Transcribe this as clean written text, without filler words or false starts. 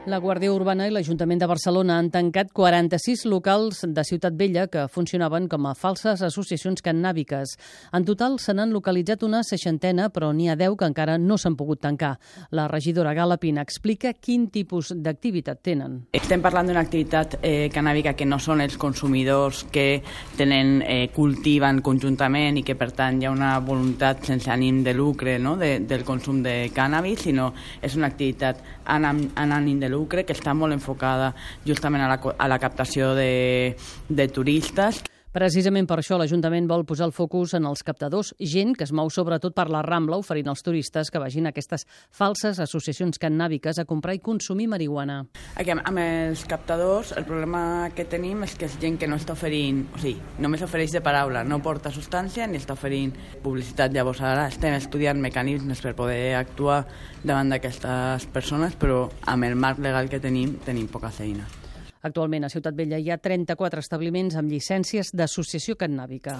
La Guàrdia Urbana i l'Ajuntament de Barcelona han tancat 46 locals de Ciutat Vella que funcionaven com a falses associacions cannàbiques. En total se n'han localitzat una 60, però n'hi ha 10 que encara no s'han pogut tancar. La regidora Gal·la Pina explica quin tipus d'activitat tenen. Estem parlant d'una activitat cannàbica que no són els consumidors que cultiven conjuntament i que per tant hi ha una voluntat sense ànim de lucre, no? del consum de cànnabis, sinó és una activitat amb ànim de lucre que està molt enfocada justament a la captació de turistes. Precisament per això l'Ajuntament vol posar el focus en els captadors, gent que es mou sobretot per la Rambla oferint als turistes que vagin a aquestes falses associacions cannàbiques a comprar i consumir marihuana. Amb els captadors el problema que tenim és que és gent que no està oferint, o sigui, només ofereix de paraula, no porta substància ni està oferint publicitat. Llavors ara estem estudiant mecanismes per poder actuar davant d'aquestes persones, però amb el marc legal que tenim poca feina. Actualment a Ciutat Vella hi ha 34 establiments amb llicències d'associació cannàbica.